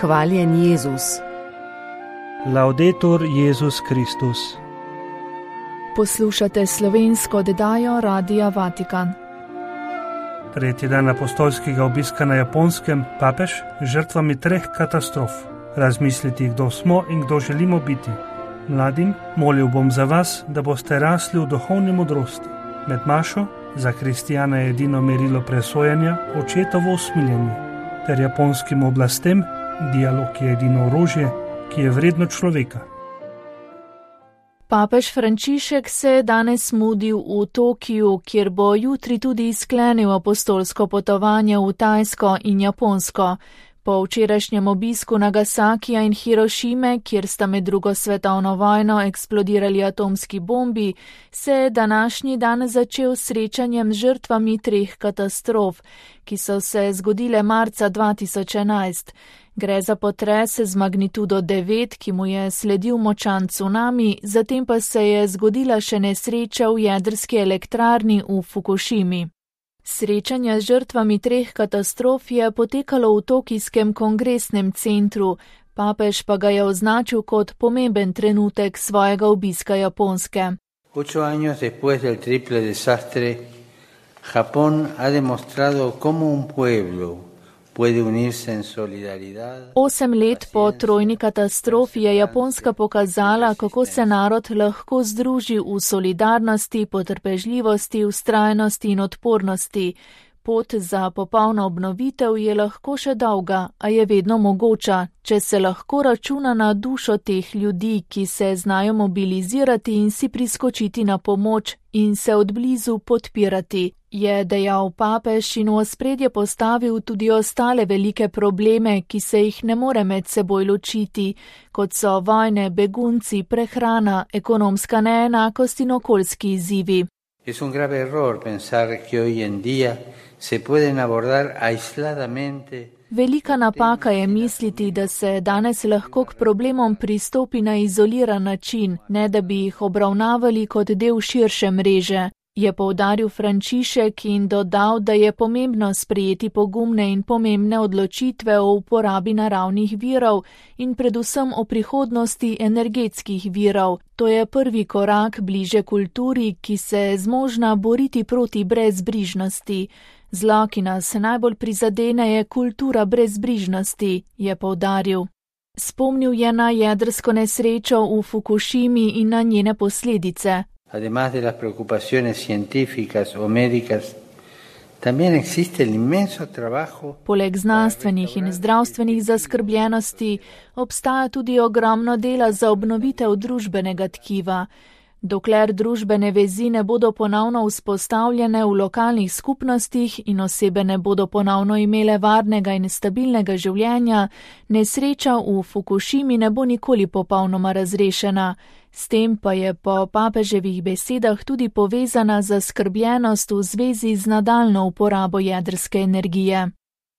Hvaljen Jezus. Laudetur Jezus Kristus. Poslušate slovensko oddajo Radia Vatikan. Tretji dan apostolskega obiska na Japonskem, papež žrtvami 3 katastrof. Razmisliti, kdo smo in kdo želimo biti. Mladim, molil bom za vas, da boste rasli v duhovni modrosti. Med mašo, za kristijana je edino merilo presojanja, očetovo usmiljenje. Ter japonskim oblastem, dialog je edino orožje, ki je vredno človeka. Papež Frančišek se je danes mudil v Tokiju, kjer bo jutri tudi sklenil apostolsko potovanje v Tajsko in Japonsko. Po včerajšnjem obisku Nagasakija in Hirošime, kjer sta med drugo svetovno vojno eksplodirali atomski bombi, se je današnji dan začel s srečanjem z žrtvami 3 katastrof, ki so se zgodile marca 2011. Gre za potres z magnitudo 9, ki mu je sledil močan tsunami, zatem pa se je zgodila še nesreča v jedrski elektrarni v Fukušimi. Srečanje z žrtvami 3 katastrof je potekalo v tokijskem kongresnem centru, papež pa ga je označil kot pomemben trenutek svojega obiska Japonske. 8 años después del triple desastre, Japón ha demostrado cómo un pueblo puede unirse en solidaridad. 8 let po trojni katastrofi je Japonska pokazala, kako se narod lahko združi v solidarnosti, potrpežljivosti, vztrajnosti in odpornosti. Pot za popolno obnovitev je lahko še dolga, a je vedno mogoča, če se lahko računa na dušo teh ljudi, ki se znajo mobilizirati in si priskočiti na pomoč in se odblizu podpirati, je dejal papež in v ospredje postavil tudi ostale velike probleme, ki se jih ne more med seboj ločiti, kot so vojne, begunci, prehrana, ekonomska neenakost in okoljski izzivi. Es un grave error pensar que hoy en día se pueden abordar aisladamente. Velika napaka je misliti, da se danes lahko k problemom pristopi na izoliran način, ne da bi jih obravnavali kot del širše mreže, je poudaril Frančišek in dodal, da je pomembno sprejeti pogumne in pomembne odločitve o uporabi naravnih virov in predvsem o prihodnosti energetskih virov. To je prvi korak bliže kulturi, ki se je zmožna boriti proti brezbrižnosti. Zlo, ki nas najbolj prizadene, je kultura brezbrižnosti, je poudaril. Spomnil je na jedrsko nesrečo v Fukušimi in na njene posledice. Además de las preocupaciones científicas o médicas, también existe el inmenso trabajo. Poleg znanstvenih in zdravstvenih zaskrbljenosti obstaja tudi ogromno dela za obnovitev družbenega tkiva. Dokler družbene vezi ne bodo ponovno vzpostavljene v lokalnih skupnostih in osebe ne bodo ponovno imele varnega in stabilnega življenja, nesreča v Fukušimi ne bo nikoli popolnoma razrešena. S tem pa je po papeževih besedah tudi povezana zaskrbljenost v zvezi z nadaljnjo uporabo jedrske energije.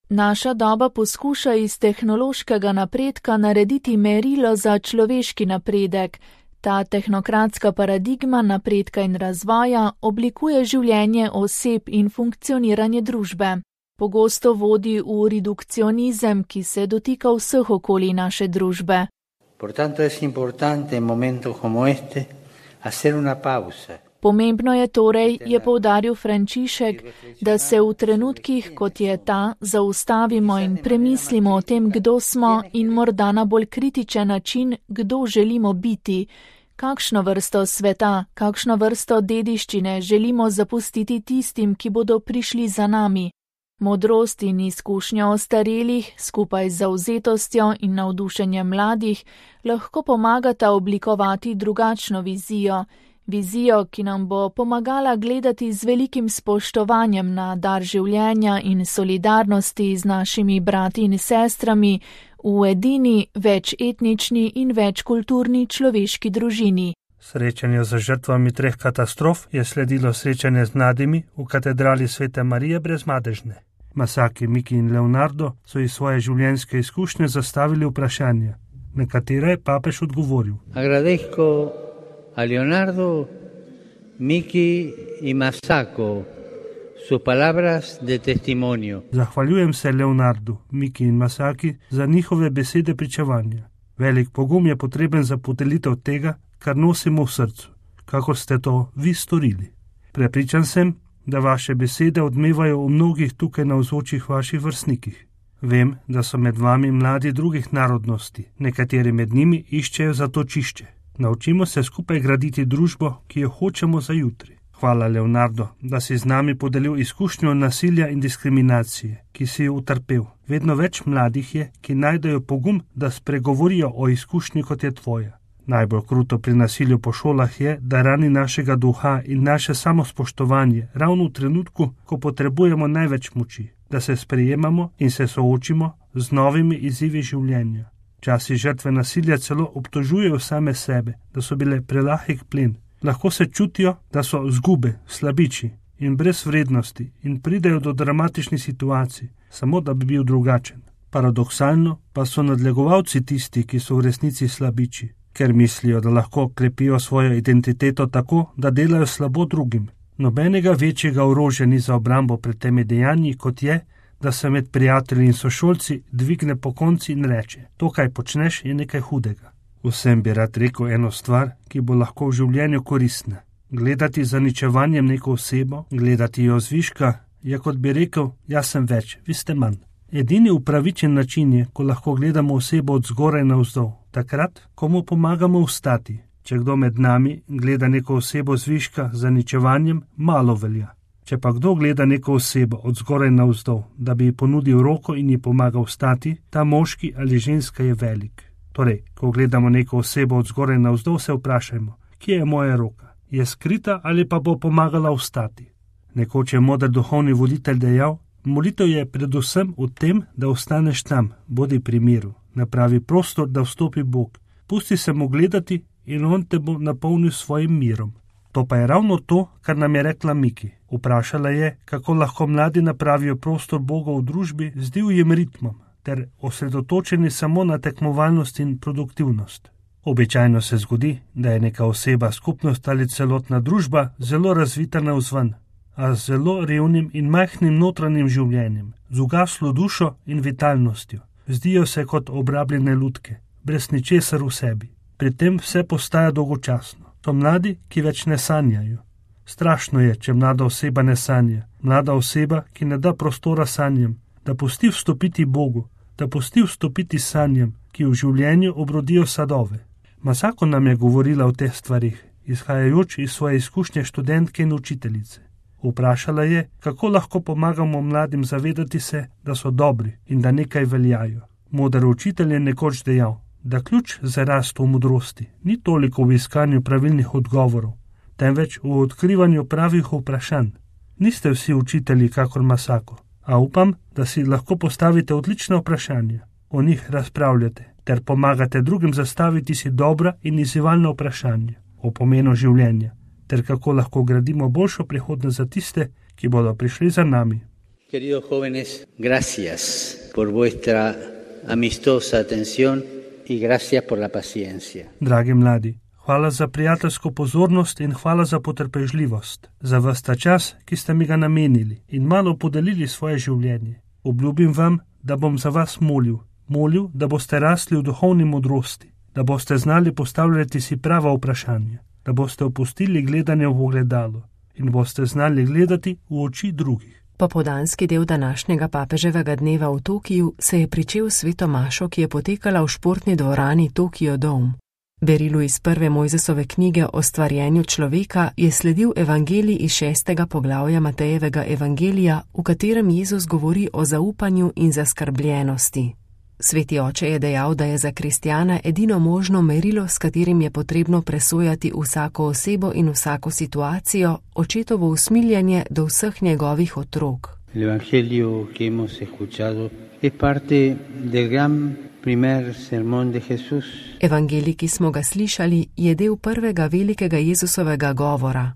Naša doba poskuša iz tehnološkega napredka narediti merilo za človeški napredek. Ta tehnokratska paradigma napredka in razvoja oblikuje življenje oseb in funkcioniranje družbe. Pogosto vodi v redukcionizem, ki se dotika vseh okolij naše družbe. Por tanto es importante en momentos como este hacer una pausa. Pomembno je torej, je poudaril Frančišek, da se v trenutkih, kot je ta, zaustavimo in premislimo o tem, kdo smo in morda na bolj kritičen način, kdo želimo biti, kakšno vrsto sveta, kakšno vrsto dediščine želimo zapustiti tistim, ki bodo prišli za nami. Modrost in izkušnja ostarelih, skupaj z zavzetostjo in navdušenjem mladih, lahko pomagata oblikovati drugačno vizijo, ki nam bo pomagala gledati z velikim spoštovanjem na dar življenja in solidarnosti z našimi brati in sestrami v edini, večetnični in večkulturni človeški družini. Srečanje z žrtvami 3 katastrof je sledilo srečanje z mladimi v katedrali Svete Marije Brezmadežne. Masaki, Miki in Leonardo so iz svoje življenjske izkušnje zastavili vprašanja, na katera je papež odgovoril. Agradezco a Leonardo, Miki y Masako sus palabras de testimonio. Zahvaljujem se Leonardu, Miki in Masaki za njihove besede pričevanja. Velik pogum je potreben za podelitev tega, kar nosimo v srcu, kako ste to vi storili. Prepričan sem, da vaše besede odmevajo v mnogih tukaj navzočih vaših vrstnikih. Vem, da so med vami mladi drugih narodnosti, nekateri med njimi iščejo za to čišče. Naučimo se skupaj graditi družbo, ki jo hočemo za jutri. Hvala, Leonardo, da si z nami podelil izkušnjo nasilja in diskriminacije, ki si jo utrpel. Vedno več mladih je, ki najdejo pogum, da spregovorijo o izkušnji, kot je tvoja. Najbolj kruto pri nasilju po šolah je, da rani našega duha in naše samospoštovanje ravno v trenutku, ko potrebujemo največ moči, da se sprejemamo in se soočimo z novimi izzivi življenja. Časi žrtve nasilja celo obtožujejo same sebe, da so bile prelahek plen. Lahko se čutijo, da so zgube, slabiči in brez vrednosti in pridejo do dramatičnih situacij, samo da bi bil drugačen. Paradoksalno pa so nadlegovalci tisti, ki so v resnici slabiči, ker mislijo, da lahko krepijo svojo identiteto tako, da delajo slabo drugim. Nobenega večjega orožja ni za obrambo pred temi dejanji, kot je, da se med prijatelji in sošolci dvigne pokonci in reče: to, kaj počneš, je nekaj hudega. Vsem bi rad rekel eno stvar, ki bo lahko v življenju koristna. Gledati z zaničevanjem neko osebo, gledati jo zviška, je kot bi rekel: jaz sem več, vi ste manj. Edini upravičen način je, ko lahko gledamo osebo od zgoraj navzdol, takrat, ko mu pomagamo vstati. Če kdo med nami gleda neko osebo zviška z zaničevanjem, malo velja. Če pa kdo gleda neko osebo od zgoraj navzdol, da bi ji ponudil roko in ji pomagal vstati, ta moški ali ženska je velik. Torej, ko gledamo neko osebo od zgoraj navzdol, se vprašajmo, kje je moja roka? Je skrita ali pa bo pomagala vstati? Nekoč je moder duhovni voditelj dejal: molitev je predvsem v tem, da ostaneš tam, bodi pri miru, napravi prostor, da vstopi Bog, pusti se mu gledati in on te bo napolnil svojim mirom. To pa je ravno to, kar nam je rekla Miki. Vprašala je, kako lahko mladi napravijo prostor Boga v družbi z divjim ritmom ter osredotočeni samo na tekmovalnost in produktivnost. Običajno se zgodi, da je neka oseba, skupnost ali celotna družba zelo razvita navzven, a z zelo revnim in majhnim notranjim življenjem, z ugaslo dušo in vitalnostjo. Zdijo se kot obrabljene lutke, brez ničesar v sebi. Pri tem vse postaja dolgočasno. To mladi, ki več ne sanjajo. Strašno je, če mlada oseba ne sanja. Mlada oseba, ki ne da prostora sanjem, da pusti vstopiti Bogu, da pusti vstopiti sanjem, ki v življenju obrodijo sadove. Masako nam je govorila o teh stvarih, izhajajoč iz svoje izkušnje študentke in učiteljice. Vprašala je, kako lahko pomagamo mladim zavedati se, da so dobri in da nekaj veljajo. Moder učitelj je nekoč dejal, da ključ za rast v modrosti ni toliko v iskanju pravilnih odgovorov, temveč v odkrivanju pravih vprašanj. Niste vsi učitelji kakor Masako, a upam, da si lahko postavite odlična vprašanja, o njih razpravljate, ter pomagate drugim zastaviti si dobra in izzivalna vprašanja o pomenu življenja, ter kako lahko gradimo boljšo prihodnost za tiste, ki bodo prišli za nami. Queridos jóvenes, gracias por vuestra amistosa atención y gracias por la paciencia. Dragi mladi, hvala za prijateljsko pozornost in hvala za potrpežljivost, za ves ta čas, ki ste mi ga namenili in malo podelili svoje življenje. Obljubim vam, da bom za vas molil, da boste rasli v duhovni modrosti, da boste znali postavljati si prava vprašanja, da boste opustili gledanje v ogledalo in boste znali gledati v oči drugih. Popoldanski del današnjega papeževega dneva v Tokiju se je pričel s sveto mašo, ki je potekala v športni dvorani Tokio Dome. Berilu iz prve Mojzesove knjige o stvarjenju človeka je sledil evangelij iz 6. poglavja Matejevega evangelija, v katerem Jezus govori o zaupanju in zaskrbljenosti. Sveti oče je dejal, da je za kristjana edino možno merilo, s katerim je potrebno presojati vsako osebo in vsako situacijo, očetovo usmiljenje do vseh njegovih otrok. Evangelio que hemos escuchado es parte del gran primer sermón de Jesús. Evangelij, ki smo ga slišali, je del prvega velikega Jezusovega govora.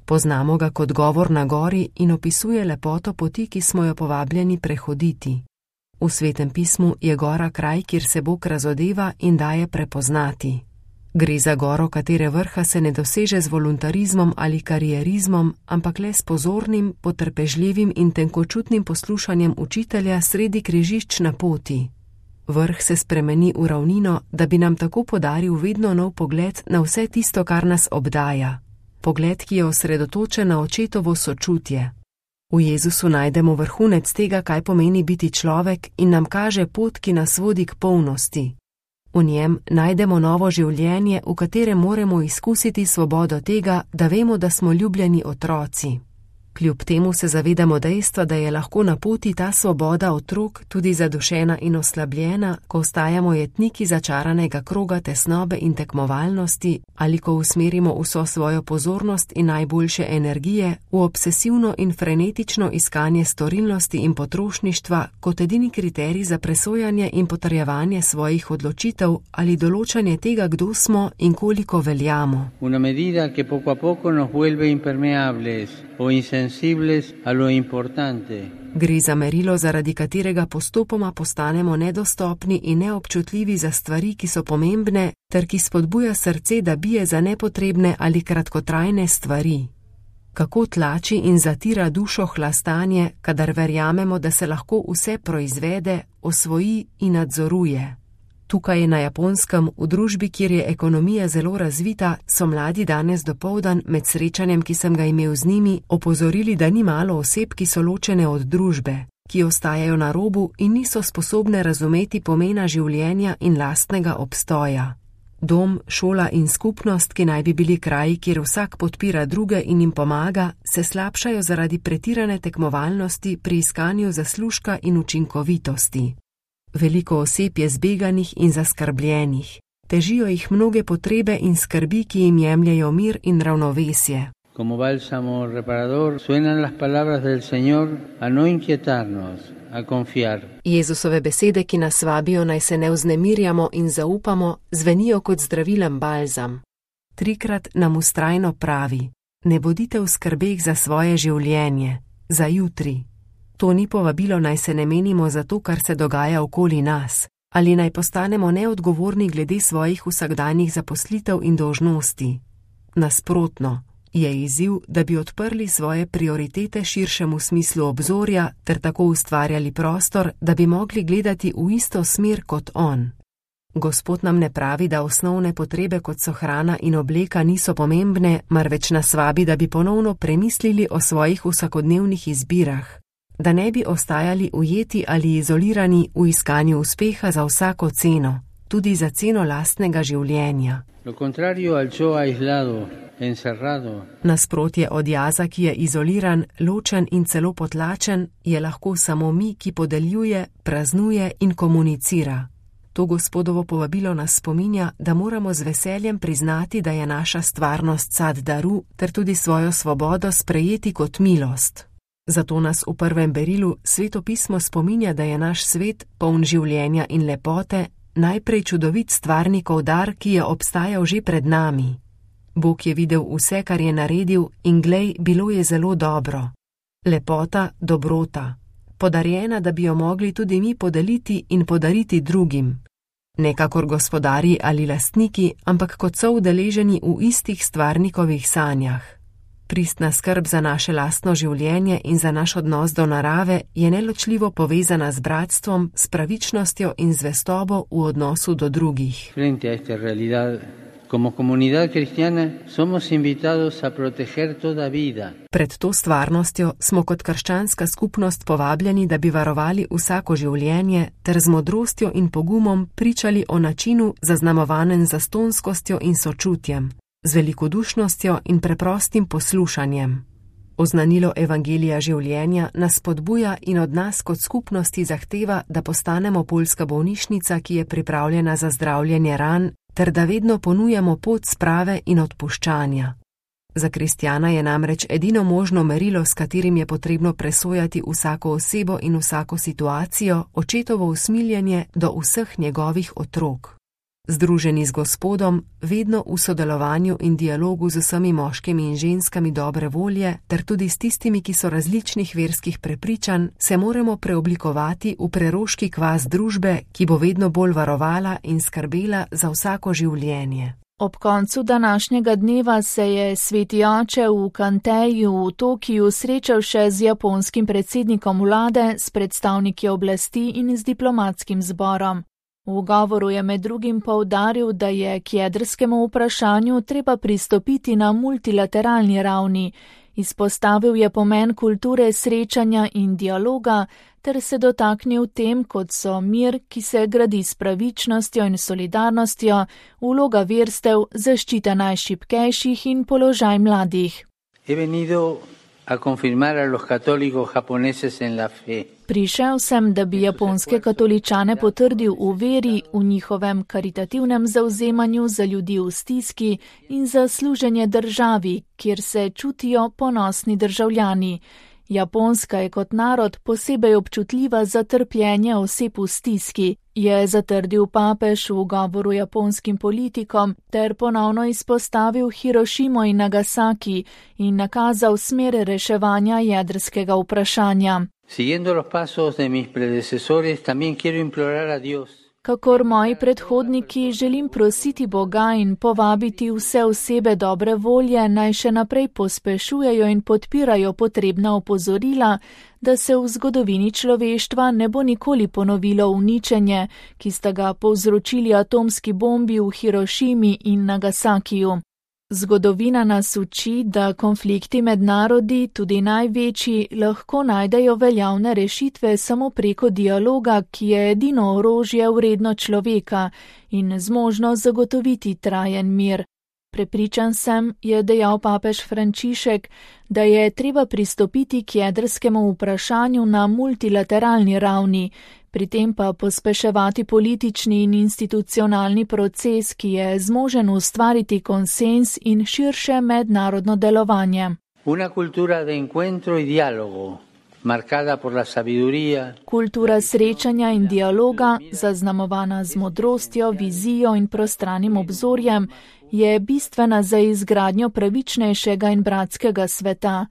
Poznamo ga kot govor na gori in opisuje lepoto poti, ki smo jo povabljeni prehoditi. V Svetem pismu je gora kraj, kjer se Bog razodeva in daje prepoznati. Gre za goro, katere vrha se ne doseže z voluntarizmom ali karierizmom, ampak le s pozornim, potrpežljivim in tenkočutnim poslušanjem učitelja sredi križišč na poti. Vrh se spremeni v ravnino, da bi nam tako podaril vedno nov pogled na vse tisto, kar nas obdaja. Pogled, ki je osredotočen na očetovo sočutje. V Jezusu najdemo vrhunec tega, kaj pomeni biti človek, in nam kaže pot, ki nas vodi k polnosti. V njem najdemo novo življenje, v katerem moramo izkusiti svobodo tega, da vemo, da smo ljubljeni otroci. Kljub temu se zavedamo dejstva, da je lahko na poti ta svoboda otrok tudi zadušena in oslabljena, ko ostajamo jetniki začaranega kroga tesnobe in tekmovalnosti ali ko usmerimo vso svojo pozornost in najboljše energije v obsesivno in frenetično iskanje storilnosti in potrošništva kot edini kriterij za presojanje in potrjevanje svojih odločitev ali določanje tega, kdo smo in koliko veljamo. Una medida que poco a poco nos vuelve impermeables o insensibles a lo importante. Gre za merilo, zaradi katerega postopoma postanemo nedostopni in neobčutljivi za stvari, ki so pomembne, ter ki spodbuja srce, da bije za nepotrebne ali kratkotrajne stvari. Kako tlači in zatira dušo hlastanje, kadar verjamemo, da se lahko vse proizvede, osvoji in nadzoruje. Tukaj na Japonskem, v družbi, kjer je ekonomija zelo razvita, so mladi danes dopoldan med srečanjem, ki sem ga imel z njimi, opozorili, da ni malo oseb, ki so ločene od družbe, ki ostajajo na robu in niso sposobne razumeti pomena življenja in lastnega obstoja. Dom, šola in skupnost, ki naj bi bili kraji, kjer vsak podpira druge in jim pomaga, se slabšajo zaradi pretirane tekmovalnosti pri iskanju zaslužka in učinkovitosti. Veliko oseb je zbeganih in zaskrbljenih. Težijo jih mnoge potrebe in skrbi, ki jim jemljejo mir in ravnovesje. Como bálsamo reparador, suenan las palabras del Señor a no inquietarnos, a confiar. Jezusove besede, ki nas vabijo, naj se ne vznemirjamo in zaupamo, zvenijo kot zdravilen balzam. 3krat nam vztrajno pravi: ne bodite v skrbeh za svoje življenje, za jutri. To ni povabilo, naj se ne menimo za to, kar se dogaja okoli nas, ali naj postanemo neodgovorni glede svojih vsakdanjih zaposlitev in dolžnosti. Nasprotno, je izziv, da bi odprli svoje prioritete širšemu smislu obzorja ter tako ustvarjali prostor, da bi mogli gledati v isto smer kot on. Gospod nam ne pravi, da osnovne potrebe, kot so hrana in obleka, niso pomembne, marveč nas vabi, da bi ponovno premislili o svojih vsakodnevnih izbirah. Da ne bi ostajali ujeti ali izolirani v iskanju uspeha za vsako ceno, tudi za ceno lastnega življenja. Nasprotje od jaza, ki je izoliran, ločen in celo potlačen, je lahko samo mi, ki podeljuje, praznuje in komunicira. To Gospodovo povabilo nas spominja, da moramo z veseljem priznati, da je naša stvarnost sad daru, ter tudi svojo svobodo sprejeti kot milost. Zato nas v prvem berilu Sveto pismo spominja, da je naš svet, poln življenja in lepote, najprej čudovit stvarnikov dar, ki je obstajal že pred nami. Bog je videl vse, kar je naredil, in glej, bilo je zelo dobro. Lepota, dobrota, podarjena, da bi jo mogli tudi mi podeliti in podariti drugim. Ne kakor gospodarji ali lastniki, ampak kot so udeleženi v istih stvarnikovih sanjah. Pristna skrb za naše lastno življenje in za naš odnos do narave je neločljivo povezana z bratstvom, s pravičnostjo in zvestobo v odnosu do drugih. Frente a esta realidad, como comunidad cristiana, somos invitados a proteger toda vida. Pred to stvarnostjo smo kot krščanska skupnost povabljeni, da bi varovali vsako življenje ter z modrostjo in pogumom pričali o načinu, zaznamovanem zastonskostjo in sočutjem, z velikodušnostjo in preprostim poslušanjem. Oznanilo evangelija življenja nas spodbuja in od nas kot skupnosti zahteva, da postanemo poljska bolnišnica, ki je pripravljena za zdravljenje ran, ter da vedno ponujamo pot sprave in odpuščanja. Za kristjana je namreč edino možno merilo, s katerim je potrebno presojati vsako osebo in vsako situacijo, očetovo usmiljenje do vseh njegovih otrok. Združeni z Gospodom, vedno v sodelovanju in dialogu z vsemi moškimi in ženskami dobre volje, ter tudi s tistimi, ki so različnih verskih prepričanj, se moramo preoblikovati v preroški kvas družbe, ki bo vedno bolj varovala in skrbela za vsako življenje. Ob koncu današnjega dneva se je sveti oče v Kanteju v Tokiju srečal še z japonskim predsednikom vlade, s predstavniki oblasti in z diplomatskim zborom. V govoru je med drugim poudaril, da je k jedrskemu vprašanju treba pristopiti na multilateralni ravni. Izpostavil je pomen kulture srečanja in dialoga ter se dotaknil tem, kot so mir, ki se gradi s pravičnostjo in solidarnostjo, vloga verstev, zaščita najšibkejših in položaj mladih. Prišel sem, da bi japonske katoličane potrdil v veri, v njihovem karitativnem zavzemanju za ljudi v stiski in za služenje državi, kjer se čutijo ponosni državljani. Japonska je kot narod posebej občutljiva za trpljenje oseb v stiski, je zatrdil papež v govoru japonskim politikom ter ponovno izpostavil Hirošimo in Nagasaki in nakazal smer reševanja jedrskega vprašanja. Kakor moji predhodniki želim prositi Boga in povabiti vse osebe dobre volje, naj še naprej pospešujejo in podpirajo potrebna opozorila, da se v zgodovini človeštva ne bo nikoli ponovilo uničenje, ki sta ga povzročili atomski bombi v Hirošimi in Nagasakiju. Zgodovina nas uči, da konflikti med narodi, tudi največji, lahko najdejo veljavne rešitve samo preko dialoga, ki je edino orožje vredno človeka in zmožno zagotoviti trajen mir. Prepričan sem, je dejal papež Frančišek, da je treba pristopiti k jedrskemu vprašanju na multilateralni ravni, pri tem pa pospeševati politični in institucionalni proces, ki je zmožen ustvariti konsens in širše mednarodno delovanje. Kultura srečanja in dialoga, zaznamovana z modrostjo, vizijo in prostranim obzorjem, je bistvena za izgradnjo pravičnejšega in bratskega sveta.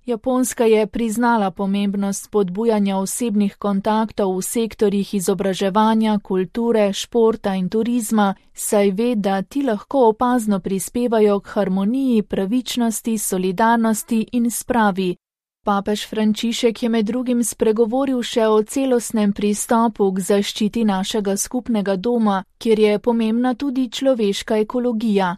Japonska je priznala pomembnost spodbujanja osebnih kontaktov v sektorjih izobraževanja, kulture, športa in turizma, saj ve, da ti lahko opazno prispevajo k harmoniji, pravičnosti, solidarnosti in spravi. Papež Frančišek je med drugim spregovoril še o celostnem pristopu k zaščiti našega skupnega doma, kjer je pomembna tudi človeška ekologija.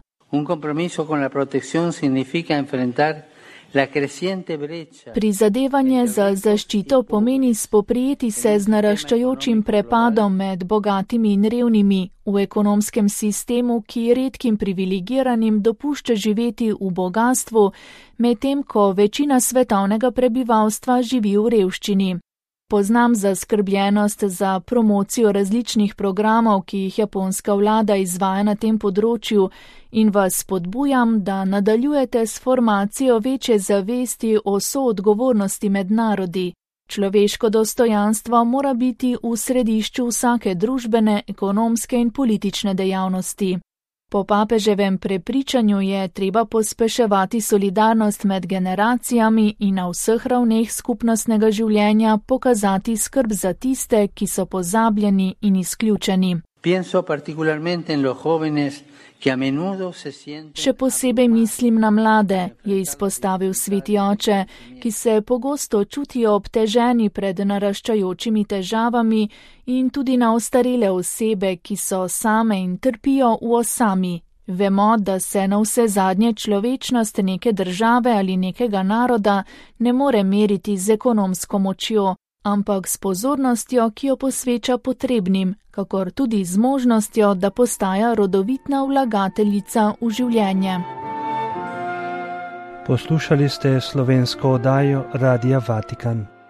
Prizadevanje za zaščito pomeni spoprijeti se z naraščajočim prepadom med bogatimi in revnimi v ekonomskem sistemu, ki redkim privilegiranim dopušča živeti v bogastvu, medtem ko večina svetovnega prebivalstva živi v revščini. Poznam zaskrbljenost za promocijo različnih programov, ki jih japonska vlada izvaja na tem področju, in vas spodbujam, da nadaljujete s formacijo večje zavesti o soodgovornosti med narodi. Človeško dostojanstvo mora biti v središču vsake družbene, ekonomske in politične dejavnosti. Po papeževem prepričanju je treba pospeševati solidarnost med generacijami in na vseh ravneh skupnostnega življenja pokazati skrb za tiste, ki so pozabljeni in izključeni. Še posebej mislim na mlade, je izpostavil sveti oče, ki se pogosto čutijo obteženi pred naraščajočimi težavami, in tudi na ostarele osebe, ki so same in trpijo v osami. Vemo, da se na vse zadnje človečnost neke države ali nekega naroda ne more meriti z ekonomsko močjo, ampak s pozornostjo, ki jo posveča potrebnim, kakor tudi z možnostjo, da postaja rodovitna vlagateljica v življenje. Poslušali ste slovensko oddajo Radia Vatikan.